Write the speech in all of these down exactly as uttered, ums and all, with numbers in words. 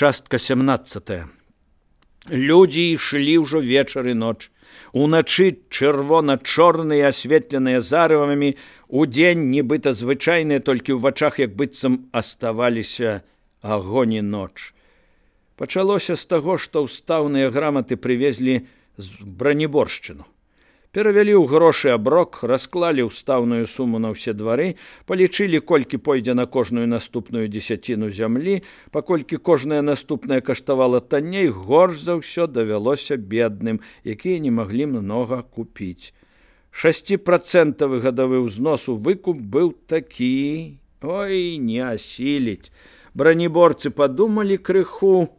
Частка сямнадцатая. Людзі ішлі ўжо вечар і ноч. Уначы чырвона-чорныя, асветленыя зарывамі, удзень нібыта звычайныя, толькі ў вачах як быццам аставаліся агонь і ноч. Пачалося з таго, што ўстаўныя граматы прывезлі з бранеборшчыну. Перавялі ў грошы аброк, расклалі ўстаўную суму на ўсе двары, палічылі, колькі пойдзе на кожную наступную дзесяціну зямлі, паколькі кожная наступная каштавала танней, горш за ўсё давялося бедным, якія не маглі многа купіць. Шасціпрацэнтавы гадавы ўзнос у выкуп быў такі, ой, не асіліць. Бранеборцы падумалі крыху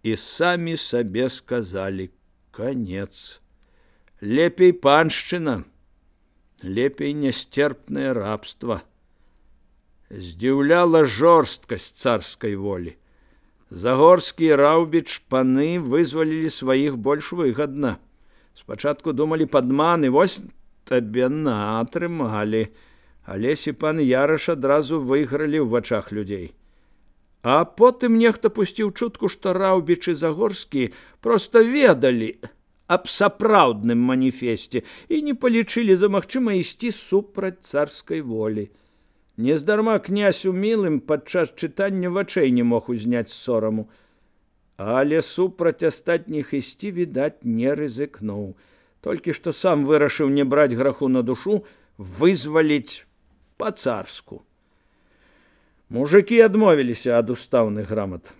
і самі сабе сказалі: канец. Лепей паншчына, лепей нясцерпнае рабства. Здзіўляла жорсткасць царскай волі. Загорскі і Раўбіч паны вызвалілі сваіх больш выгадна. Спачатку думалі падман, і вось табе на атрымалі. Алесь і пан Яраш адразу выйгралі ў вачах людзей. А потым нехта пусціў чутку, што Раўбіч і Загорскі проста ведалі аб сапраўдным маніфесце і не палічылі за магчыма ісці супраць царскай волі. Нездарма князь Умілым падчас чытання вачэй не мог узняць сораму, але супраць астатніх ісці, відаць, не рызыкнуў. Толькі што сам вырашыў не браць граху на душу, вызваліць па-царску. Мужыкі адмовіліся ад устаўных грамат.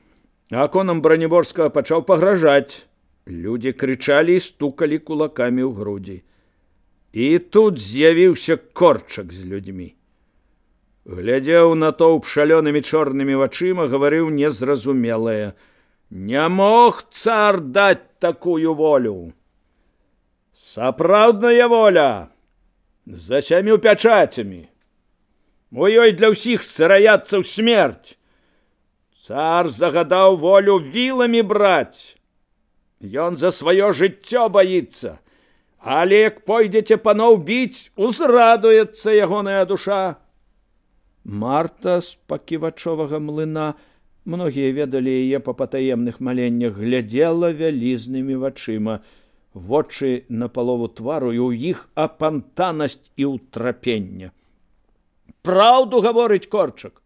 Аконам Бранеборскага пачаў пагражаць. Людзі крычалі і стукалі кулакамі ў грудзі. І тут з'явіўся Корчак з людзьмі. Глядзеў на тоўп шалёнымі чорнымі вачыма, гаварыў незразумелае: «Не мог цар даць такую волю! Сапраўдная воля! За сямю пячацямі! У ёй для ўсіх сыраяццаў смерць! Цар загадаў волю віламі браць! Ён за сваё жыццё баіцца, але як пойдзеце паноў біць, узрадуецца ягоная душа». Марта з паківачовага млына, многія ведалі яе па патаемных маленнях, глядзела вялізнымі вачыма. Вочы напалову твару, і ў іх апантанасць і ўтрапення. «Праўду гаворыць Корчак,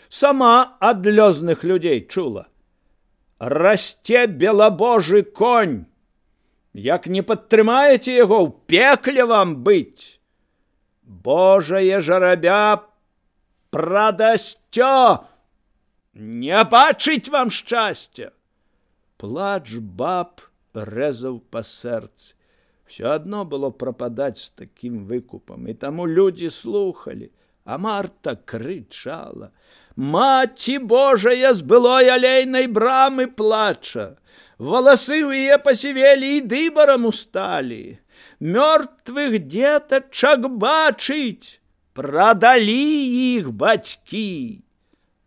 сама ад лёзных людзей чула. Расце белабожы конь. Як не падтрымаеце яго, ў пекле вам быць. Божае жарабя прадасцё, не бачыць вам шчасця». Плач баб рэзаў па сэрцы. Всё адно было прападаць з такім выкупам, і таму людзі слухалі, а Марта крычала: «Маці Божая з былой алейнай брамы плача! Валасы ў яе пасівелі і дыбарам усталі! Мёртвых дзетачак бачыць! Прадалі іх бацькі!»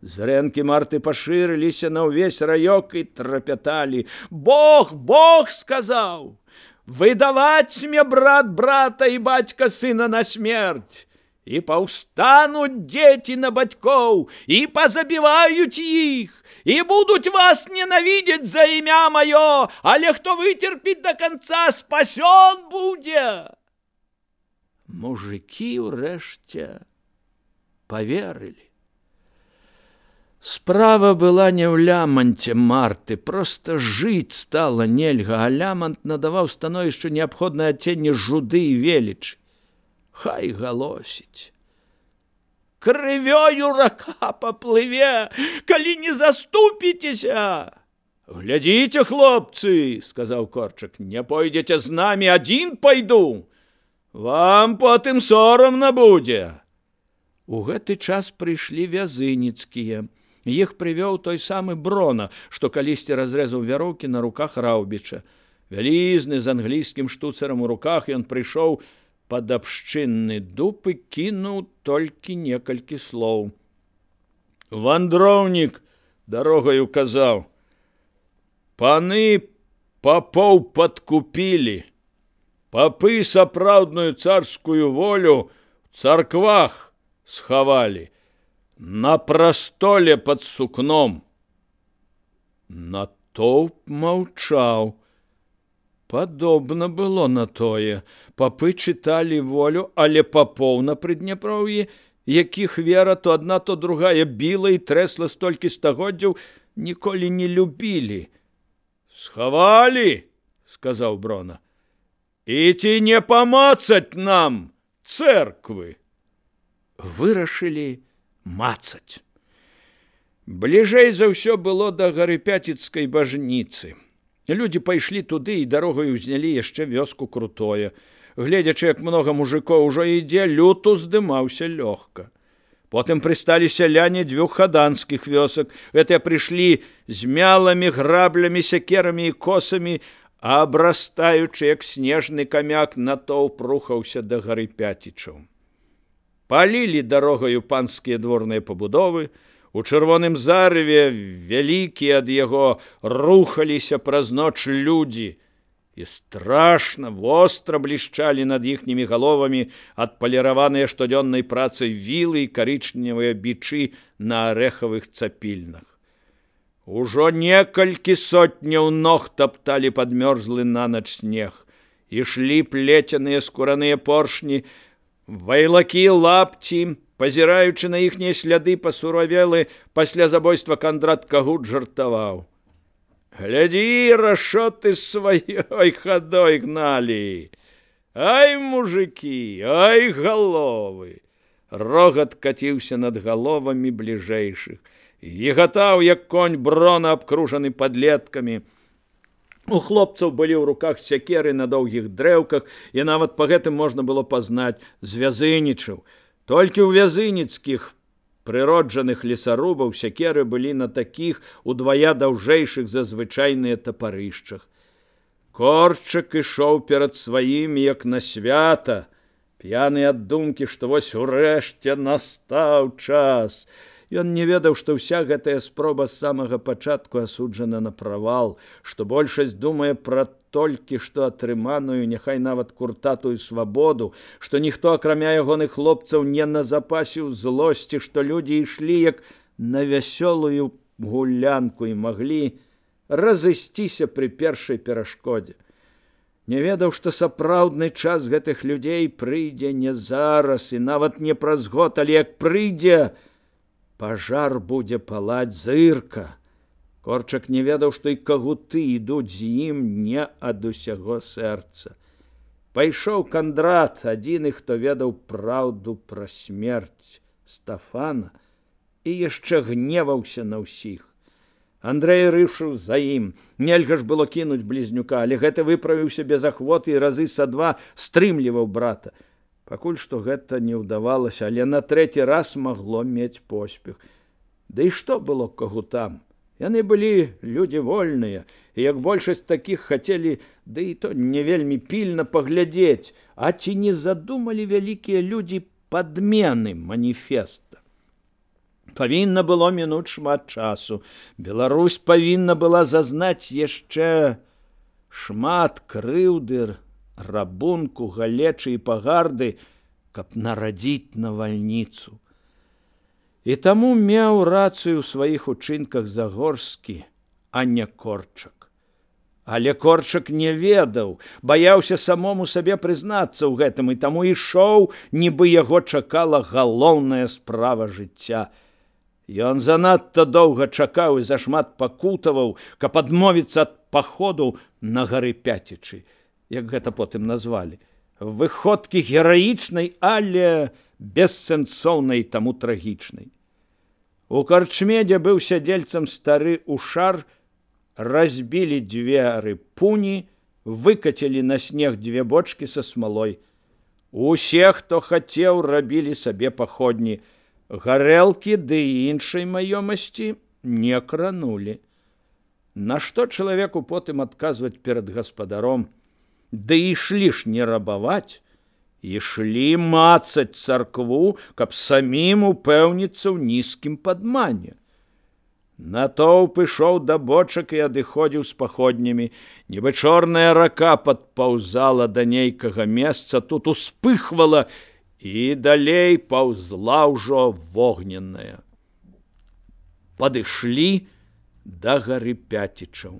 Зрэнкі Марты пашырыліся на ўвесь раёк і трапяталі. «Бог, Бог сказаў! Выдаваць мне брат брата і бацька сына на смерць! І паўстануць дзеці на бацькоў, і пазабіваюць іх, і будуць вас ненавідзець за імя маё, але хто выцерпіць да канца, спасён будзе». Мужыкі ўрэшце паверылі. Справа была не ў ляманце Марты, проста жыць стала нельга, а лямант надаваў становішчу неабходнае адценне жуды і велічы. Хай галосіць. «Крывёю рака паплыве, калі не заступіцеся!» «Глядзіце, хлопцы, — сказаў Корчак, — не пойдзеце з намі, адзін пайду. Вам потым сорамна будзе». У гэты час прыйшлі вязыніцкія. Іх прывёў той самы Брона, што калісьці разрэзаў вяроўкі на руках Раўбіча. Вялізны, з англійскім штуцарам у руках, ён прыйшоў пад абшчынны дуб і кінуў толькі некалькі слоў. Вандроўнік дарогаю казаў: «Паны папоў падкупілі. Папы сапраўдную царскую волю в царквах схавалі, на прастоле пад сукном. Натоўп маўчаў. Падобна было на тое. Папы чыталі волю, але папоў на Прыдняпроўі, якіх вера то адна, то другая біла і трэсла столькі стагоддзяў, ніколі не любілі. «Схавалі!» – сказаў Брона. «І ці не памацаць нам цэрквы?» Вырашылі мацаць. Бліжэй за ўсё было да Гарыпяціцкай бажніцы. Людзі пайшлі туды і дарогаю ўзнялі яшчэ вёску Крутое. Гледзячы, як многа мужикоў ужо ідзе, люд уздымаўся лёгка. Потым прысталі сяляне дзвюх хаданскіх вёсак. Гэтыя прыйшлі з мяламі, граблямі, сякерамі і косамі, а абрастаючы, як снежны камяк, натоўп рухаўся да Гарыпяцічаў. Палілі дарогаю панскія дворныя пабудовы. У чырвоным зарыве вялікія ад яго рухаліся праз ноч людзі і страшна востра блішчалі над іхнімі галовамі адпаліраваныя штодзённай працай вілы і карычневыя бичы на арэхавых цапільнах. Ужо некалькі сотняў ног тапталі падмёрзлы нанач снег. Ішлі плецяныя скураныя поршні, вайлакі лапці, пазіраючы на іхнія сляды пасуравелы пасля забойства Кандрат Кагут жартаваў. «Глядзі, рашоты сваёй хадой гналі! Ай, мужыкі, ай, галовы!» Рогат каціўся над галовамі бліжэйшых. Егатаў, як конь Брона, абкружаны падлеткамі. У хлопцаў былі ў руках сякеры на доўгіх дрэўках, і нават па гэтым можна было пазнаць звязынічаў. Толькі ў вязыніцкіх прыроджаных лесарубаў сякеры былі на такіх удвая даўжэйшых за звычайныя тапарышчах. Корчак ішоў перад сваім, як на свята, п'яны ад думкі, што вось урэшце настаў час. Ён не ведаў, што ўся гэтая спроба з самага пачатку асуджана на правал, што большасць думае пра толькі што атрыманую, няхай нават куртатую свабоду, што ніхто, акрамя ягоных хлопцаў, не назапасіў злосці, што людзі ішлі як на вясёлую гулянку і маглі разысціся пры першай перашкодзе. Не ведаў, што сапраўдны час гэтых людзей прыйдзе не зараз і нават не праз год, але як прыйдзе, пажар будзе палаць зырка. Корчак не ведаў, што і кагуты ідуць з ім не ад усяго сэрца. Пайшоў Кандрат, адзіны, хто ведаў праўду пра смерць Стафана, і яшчэ гневаўся на ўсіх. Андрэй рышыў за ім. Нельга ж было кінуць блізнюка, але гэта выправіўся без ахвоты і разы са два стрымліваў брата. Пакуль што гэта не ўдавалася, але на трэці раз магло мець поспех. Да і што было кагутам? Яны былі людзі вольныя, і як большасць такіх хацелі, да і то не вельмі пільна паглядзець, а ці не задумалі вялікія людзі падмены маніфеста. Павінна было мінуць шмат часу. Беларусь павінна была зазнаць яшчэ шмат крыўды, рабунку, галечы і пагарды, каб нарадзіць навальніцу. І таму меў рацыю ў сваіх учынках Загорскі, а не Корчак. Але Корчак не ведаў, баяўся самому сабе прызнацца ў гэтым, і таму ішоў, нібы яго чакала галоўная справа жыцця. Ён занадта доўга чакаў і зашмат пакутаваў, каб адмовіцца ад паходу на Гарыпяцічы, як гэта потым назвалі, выходкі гераічнай, але бессэнсоўнай, таму трагічнай. У карчме, дзе быў сядзельцам стары Ушар, разбілі дзверы пуні, выкацілі на снег дзве бочкі са смалой. Усе, хто хацеў, рабілі сабе паходні. Гарэлкі ды іншай маёмасці не кранулі. Нашто чалавеку потым адказваць перад гаспадаром? Да ішлі ж не рабаваць, ішлі мацаць царкву, каб самім упэўніцца ў нізкім падмане. Натоўп ішоў да бочак і адыходзіў з паходнямі. Нібы чорная рака падпаўзала да нейкага месца, тут успыхвала і далей паўзла ўжо вогненная. Падышлі да гары Пяцічаў.